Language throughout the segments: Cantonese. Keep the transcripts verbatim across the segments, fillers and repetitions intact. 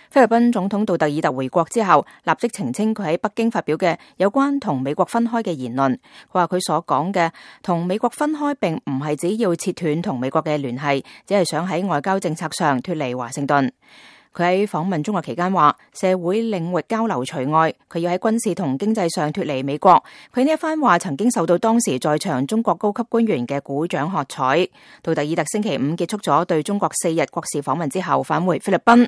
菲律賓總統杜特爾特回國之後，立即澄清佢喺北京發表嘅有關同美國分開嘅言論。佢話佢所講嘅同美國分開並唔係只要切斷同美國嘅聯繫，只係想喺外交政策上脫離華盛頓。佢喺訪問中國期間話，社會領域交流除外，佢要喺軍事同經濟上脫離美國。佢呢一番話曾經受到當時在場中國高級官員嘅鼓掌喝彩。杜特爾特星期五結束咗對中國四日國事訪問之後返回菲律賓。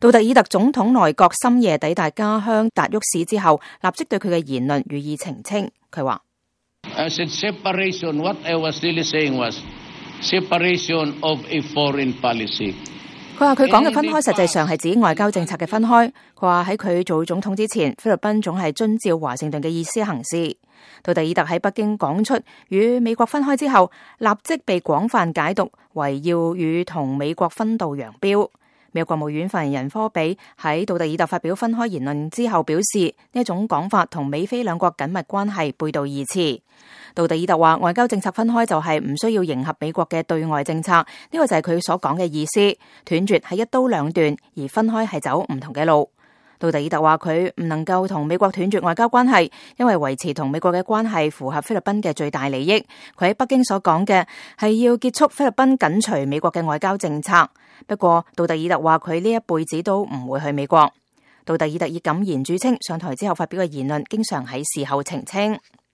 杜特爾特總統內閣深夜抵達家鄉達沃市之後，立即對佢嘅言論予以澄清。佢話I said separation, what I was really saying was separation of a foreign policy. 佢話佢講嘅分開實際上係指外交政策嘅分開。佢話喺佢做總統之前，菲律賓總係遵照華盛頓嘅意思行事。杜特爾特喺北京講出與美國分開之後，立即被廣泛解讀為要與同美國分道揚鑣。美國國務院發言人科比喺杜特爾特發表分開言論之後表示，呢一種講法同美菲兩國緊密關係背道而馳。杜特爾特話，外交政策分開就係唔需要迎合美國嘅對外政策，呢個就係佢所講嘅意思。斷絕係一刀兩斷，而分開係走唔同嘅路。杜特爾特話佢唔能夠同美國斷絕外交關係，因為維持同美國嘅關係符合菲律賓嘅最大利益。佢喺北京所講嘅係要結束菲律賓緊隨美國嘅外交政策。不過杜特爾特話佢呢一輩子都唔會去美國。杜特爾特以敢言著稱，上台之後發表嘅言論經常喺事後澄清。